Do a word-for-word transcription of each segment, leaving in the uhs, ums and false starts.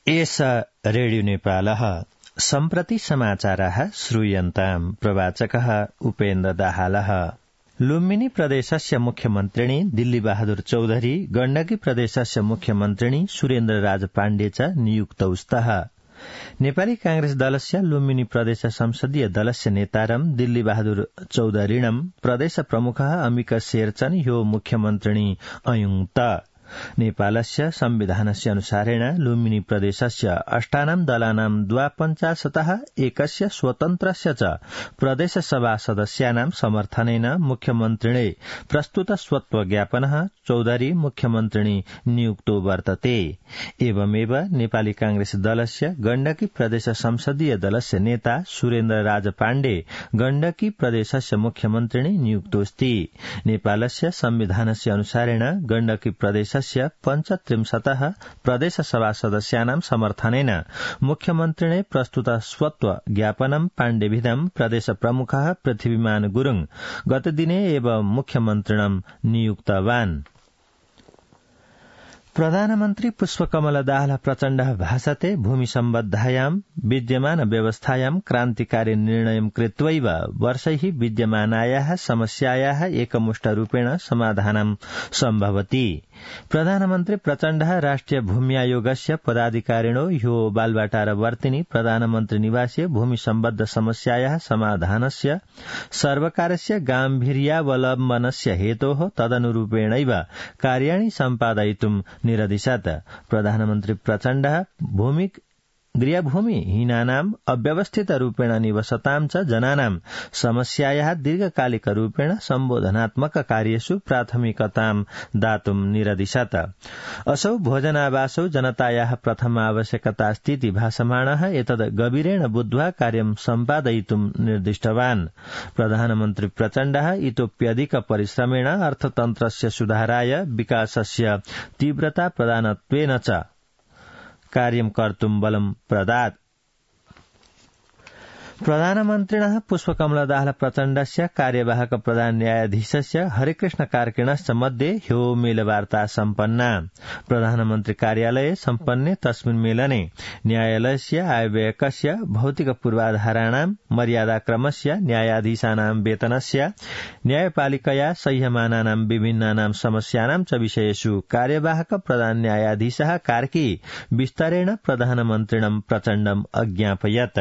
एष रेडियो नेपालः सम्प्रति समाचाराः श्रूयन्ताम् प्रवाचकः उपेन्द्र दाहालः। लुम्बिनी प्रदेशस्य मुख्यमन्त्रिणी दिल्ली बहादुर चौधरी गण्डकी प्रदेशस्य मुख्यमन्त्रिणी सुरेन्द्र राज पाण्डे च नियुक्तौ स्तः। नेपाली कांग्रेस दलस्य लुम्बिनी प्रदेश संसदीय दलस्य नेतारं दिल्ली बहादुर चौधरीणं प्रदेश प्रमुखः अम्बिका शेरचन ह्यो मुख्यमन्त्रिणी अयुङ्क्त। नेपालस्य संविधानस्य अनुसारेण लुम्बिनी प्रदेशस्य अष्टानां दलानां द्वापञ्चाशतः एकस्य स्वतन्त्रस्य च प्रदेश सभा सदस्यानां समर्थनेन मुख्यमन्त्रिणे प्रस्तुत स्वत्व ज्ञापनः चौधरी मुख्यमन्त्रिणी नियुक्तो वर्तते। एवमेव नेपाली कांग्रेस दलस्य गण्डकी प्रदेश संसदीय दलस्य नेता सुरेन्द्र राज पाण्डे गण्डकी प्रदेशस्य मुख्यमन्त्रिणी नियुक्तोऽस्ति। नेपालस्य संविधानस्य अनुसारेण गण्डकी प्रदेश पञ्चत्रिंशतः प्रदेश सभा सदस्यानां समर्थनेन मुख्यमन्त्रिणे प्रस्तुत स्वत्व ज्ञापनं पाण्डेभिधं प्रदेश प्रमुखः पृथ्वीमान गुरुङ गतदिने एव मुख्यमन्त्रिणं नियुक्तवान्। प्रधानमन्त्री पुष्पकमल दाहाल प्रचण्डः भाषते भूमि सम्बद्धायां विद्यमान व्यवस्थायां क्रान्तिकारी निर्णयं कृत्वैव वर्षैः विद्यमानायाः समस्यायाः एकमुष्टरूपेण समाधानं सम्भवति। प्रधानमन्त्री प्रचण्डः राष्ट्रिय भूमि आयोगस्य पदाधिकारिणो ह्यो बालवाटारवर्तिनि प्रधानमन्त्री निवासे भूमि सम्बद्ध समस्यायाः समाधानस्य सर्वकारस्य गाम्भीर्यावलम्बनस्य हेतोः तदनुरूपेणैव कार्याणि सम्पादयितुं निरदिशत्। प्रधानमन्त्री प्रचण्डः भूमि गृहभूमिहीनानाम् अव्यवस्थितरूपेण निवसतां च जनानां समस्यायाः दीर्घकालिकरूपेण सम्बोधनात्मक कार्येषु प्राथमिकतां दातुं निरदिशत्। असौ भोजनावासौ जनतायाः प्रथम आवश्यकतास्तीति भाषमाणः एतद् गभीरेण बुद्ध्वा कार्यं सम्पादयितुं निर्दिष्टवान्। प्रधानमन्त्री प्रचण्डः इतोप्यधिक परिश्रमेण अर्थतन्त्रस्य सुधाराय विकासस्य तीव्रता प्रदानत्वेन च कार्यं कर्तुं बलं प्रदात्। प्रधानमन्त्रिणः पुष्पकमल दाहाल प्रचण्डस्य कार्यवाहक प्रधान न्यायाधीशस्य हरिकृष्ण कार्किणश्च मध्ये ह्यो मेलवार्ता सम्पन्ना। प्रधानमन्त्री कार्यालये सम्पन्ने तस्मिन् मेलने न्यायालयस्य आयव्ययकस्य भौतिक पूर्वाधाराणां मर्यादाक्रमस्य न्यायाधीशानां वेतनस्य न्यायपालिकया सह्यमानानां विभिन्नानां समस्यानां च विषयेषु कार्यवाहक प्रधान न्यायाधीशः कार्की विस्तरेण प्रधानमन्त्रिणं प्रचण्डम् अज्ञापयत्।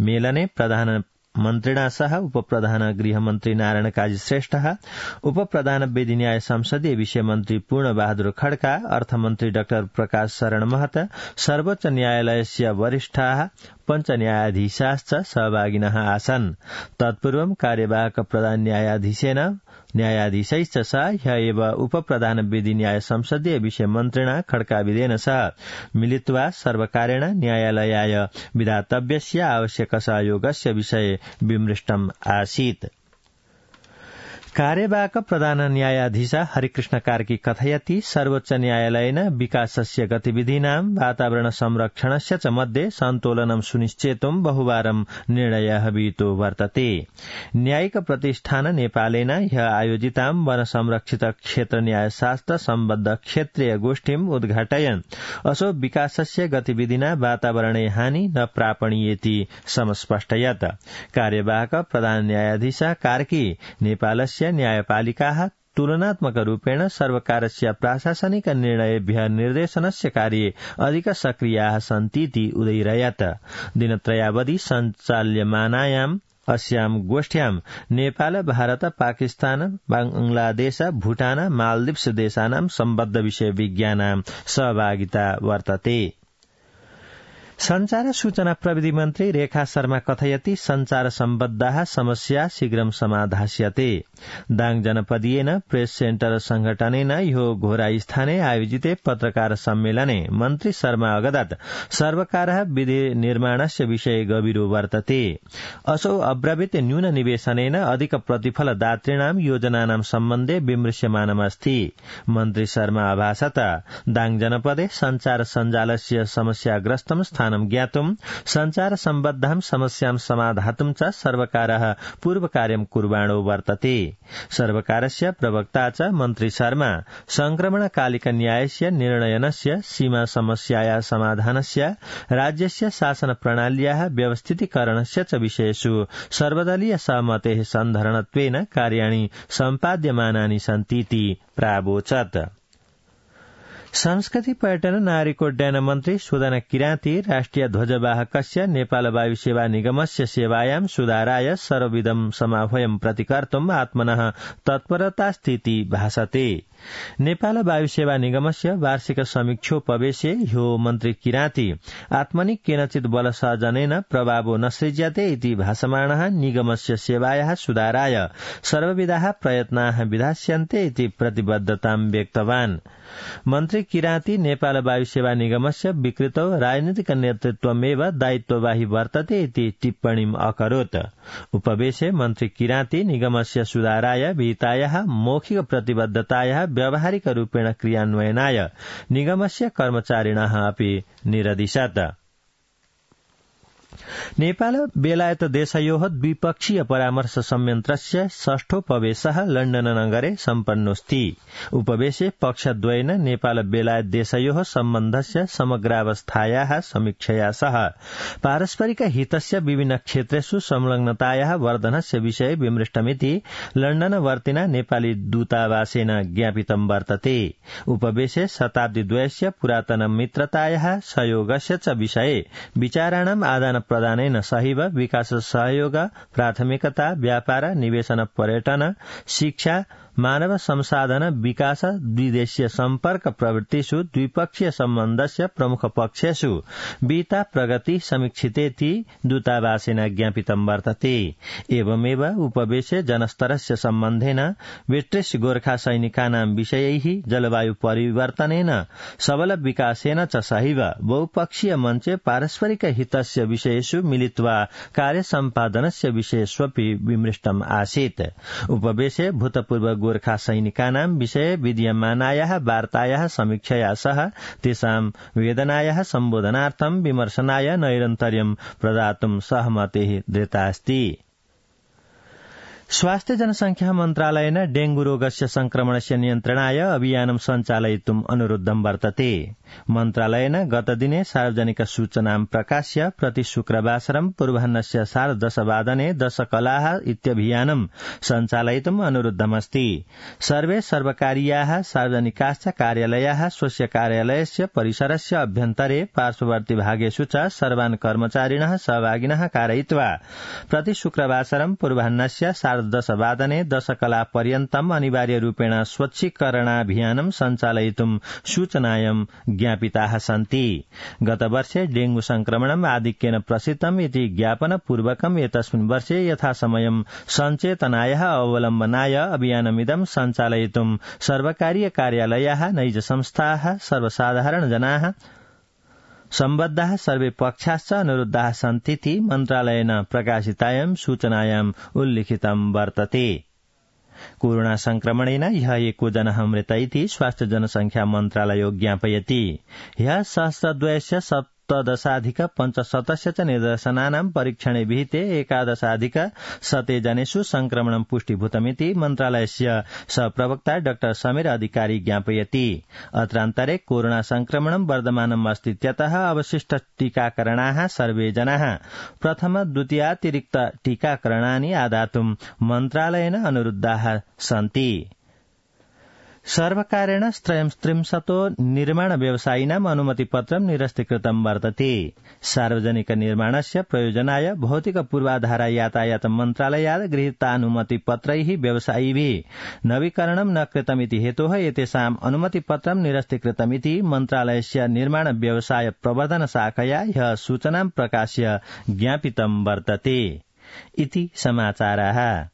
मेलने प्रधानमन्त्रिणा सह उपप्रधान गृहमन्त्री नारायण काजी श्रेष्ठः, उपप्रधान विधि न्याय संसदीय विषय मन्त्री पूर्ण बहादुर खड्का, अर्थमन्त्री डाक्टर प्रकाश शरण महत, सर्वोच्च न्यायालयस्य वरिष्ठाः पञ्च न्यायाधीशाश्च सहभागिनः आसन्। तत्पूर्वं कार्यवाहक प्रधान न्यायाधीशेन न्यायाधीशैश्च सह ह्य एव उपप्रधान विधि न्याय संसदीय विषय मन्त्रिणा खड्काविदेन सह मिलित्वा सर्वकारेण न्यायालयाय विधातव्यस्य आवश्यक सहयोगस्य विषये विमृष्टम् आसीत्। कार्यवाहक प्रधान न्यायाधीश हरिकृष्ण कार्की कथयति सर्वोच्च न्यायालयेन विकासस्य गतिविधीनां वातावरण संरक्षणस्य च मध्ये सन्तुलनं सुनिश्चेतुं बहुवारं निर्णयः विहितो वर्तते। न्यायिक प्रतिष्ठान नेपालेन ह्य आयोजितां वन संरक्षित क्षेत्र न्यायशास्त्र सम्बद्ध क्षेत्रीय गोष्ठीम् उद्घाटयन् असो विकासस्य गतिविधिना वातावरणे हानि न प्रापणीयेति समस्पष्टयत्। कार्यवाहक प्रधान न्यायाधीश कार्की नेपालस्य न्यायपालिकाः तुलनात्मक रूपेण सर्वकारस्य प्राशासनिक निर्णयेभ्यः निर्देशनस्य कार्ये अधिक सक्रियाः सन्तीति उदयिरयत्। दिनत्रयावधि सञ्चाल्यमानायाम् अस्यां गोष्ठ्यां नेपाल, भारत, पाकिस्तान, बांग्लादेश, भूटान, मालदीव्स देशानां सम्बद्ध विषय विज्ञानां सहभागिता वर्तते। संचार सूचना प्रविधि मन्त्री रेखा शर्मा कथयति संचार सम्बद्धाः समस्या शीघ्रं समाधास्यते। दाङ जनपदीयेन प्रेस सेन्टर संघटनेन ह्यो घोरास्थाने आयोजिते पत्रकार सम्मेलने मन्त्री शर्मा अगदात् सर्वकारः विधि निर्माणस्य विषये गभीरो वर्तते। असौ अब्रवीत न्यून निवेशनेन अधिक प्रतिफल दातॄणां योजनानां सम्बन्धे विमृश्यमानमस्ति। मन्त्री शर्मा अभाषत दाङ जनपदे संचार सञ्जालस्य समस्याग्रस्तं स्थान समाधानं ज्ञातुं संचार सम्बद्धां समस्यां समाधातुं च सर्वकारः पूर्वकार्यं कुर्वाणो वर्तते। सर्वकारस्य प्रवक्ता च मन्त्री शर्मा संक्रमणकालिकन्यायस्य निर्णयनस्य सीमा समस्याया समाधानस्य राज्यस्य शासन प्रणाल्याः व्यवस्थितीकरणस्य च विषयेषु सर्वदलीय सहमतेः सन्धारणत्वेन कार्याणि सम्पाद्यमानानि सन्तीति प्रावोचत्। संस्कृति पर्यटन नागरिकोड्डयन मन्त्री सुदन किराती राष्ट्रिय ध्वजवाहकस्य नेपाल वायु सेवा निगमस्य सेवायां सुधाराय सर्वविधं समाह्वयं प्रतिकर्तुम् आत्मनः तत्परतास्तीति भासते। नेपाल वायु सेवा निगमस्य वार्षिक समीक्षोपवेशे ह्यो मन्त्री किराती आत्मनि केनचित् बलसहजनेन प्रभावो न सृज्यते इति भासमानः निगमस्य सेवायाः सुधाराय सर्वविधाः प्रयत्नाः विधास्यन्ते इति प्रतिबद्धतां व्यक्तवान्। मन्त्री किराती नेपाल वायु सेवा निगमस्य विकृतौ राजनीतिक नेतृत्वमेव दायित्ववाही वर्तते इति टिप्पणीम् अकरोत्। उपवेशे मन्त्री किराती निगमस्य सुधाराय विहितायाः मौखिक प्रतिबद्धतायाः व्यावहारिक रूपेण क्रियान्वयनाय निगमस्य कर्मचारिणः अपि निरदिशत्। नेपाल बेलायत देशयोः द्विपक्षीय परामर्श संयन्त्रस्य षष्ठोपवेशः लण्डन नगरे सम्पन्नोऽस्ति। उपवेशे पक्षद्वयेन नेपाल बेलायत देशयोः सम्बन्धस्य समग्रावस्थायाः समीक्षया सह पारस्परिक हितस्य विभिन्न क्षेत्रेषु संलग्नतायाः वर्धनस्य विषये विमृष्टमिति लण्डनवर्तिना नेपाली दूतावासेन ज्ञापितं वर्तते। उपवेशे शताब्दीद्वयस्य पुरातन मित्रतायाः सहयोगस्य च विषये विचाराणाम् आदान प्रदानेन सहैव विकास सहयोग प्राथमिकता व्यापार निवेशन पर्यटन शिक्षा मानव संसाधन विकास द्विदेशीय सम्पर्क प्रवृत्तिषु द्विपक्षीय सम्बन्धस्य प्रमुख पक्षेषु विहिता प्रगति समीक्षितेति दूतावासेन ज्ञापितं वर्तते। एवमेव उपवेशे जनस्तरस्य सम्बन्धेन ब्रिटिश गोर्खा सैनिकानां विषयैः जलवायु परिवर्तनेन सबल विकासेन च सहैव बहुपक्षीय मञ्चे पारस्परिक हितस्य विषयेषु मिलित्वा कार्य सम्पादनस्य विषयेष्वपि विमृष्टम् आसीत्। उपवेशे भूतपूर्व गोर्खा सैनिकानां विषये विद्यमानायाः वार्तायाः समीक्षया सह तेषां वेदनायाः सम्बोधनार्थं विमर्शनाय नैरन्तर्यं प्रदातुं सहमतिः दृतास्ति। स्वास्थ्य जनसंख्या मन्त्रालयेन डेंगू रोगस्य संक्रमणस्य नियन्त्रणाय अभियानं सञ्चालयितुम् अनुरोधं वर्तते। मन्त्रालयेन गतदिने सार्वजनिक सूचनां प्रकाश्य प्रति शुक्रवासरं पूर्वाह्नस्य सार्धदशवादने दशकलाः इत्यभियानं सञ्चालयितुम् अनुरुद्धमस्ति। सर्वे सर्वकारीयाः सार्वजनिकाश्च कार्यालयाः स्वस्य कार्यालयस्य परिसरस्य अभ्यन्तरे पार्श्ववर्ति भागेषु च सर्वान् कर्मचारिणः सहभागिनः कारयित्वा प्रति शुक्रवासरं पूर्वाह्नस्य सार्धदशवादने दशकला पर्यन्तम् अनिवार्य रूपेण स्वच्छीकरणाभियानं सञ्चालयितुम् सूचनायं ज्ञापिताः सन्ति। गतवर्षे डेंगू संक्रमणम् आधिक्येन प्रसिद्धम् इति ज्ञापनपूर्वकम् एतस्मिन् वर्षे यथासमयं सञ्चेतनायाः अवलम्बनाय अभियानमिदं सञ्चालयितुम् सर्वकारीय कार्यालयाः नैज संस्थाः सर्वसाधारण जनाः सम्बद्धाः सर्वे पक्षाश्च अनुरुद्धाः सन्तीति मन्त्रालयेन प्रकाशितायां सूचनायाम् उल्लिखितं वर्तते। कोरोना संक्रमणेन ह्यः एको जनः मृत इति स्वास्थ्य जनसंख्या मन्त्रालयो ज्ञापयति। ह्यः सहस्रद्वयस्य सप्तदशाधिक पञ्चशतस्य च निदर्शनानां परीक्षणे विहिते एकादशाधिक शते जनेषु संक्रमणं पुष्टीभूतमिति मन्त्रालयस्य सहप्रवक्ता डाक्टर समीर अधिकारी ज्ञापयति। अत्रान्तरे कोरोना संक्रमणं वर्धमानम् अस्तीत्यतः अवशिष्ट टीकाकरणाः सर्वे जनाः प्रथम द्वितीयातिरिक्त टीकाकरणानि आदातुं मन्त्रालयेन अनुरुद्धाः सन्ति। सर्वकारेण त्रयस्त्रिंशतो निर्माण व्यवसायिनाम् अनुमतिपत्रं निरस्तीकृतं वर्तते। सार्वजनिक निर्माणस्य प्रयोजनाय भौतिक पूर्वाधार यातायात मन्त्रालयात् गृहीतानुमतिपत्रैः व्यवसायिभिः नवीकरणं न कृतमिति हेतोः एतेषाम् अनुमतिपत्रं निरस्तीकृतमिति मन्त्रालयस्य निर्माण व्यवसाय प्रवर्धन शाखया ह्यः सूचनां प्रकाश्य ज्ञापितं वर्तते। इति समाचाराः।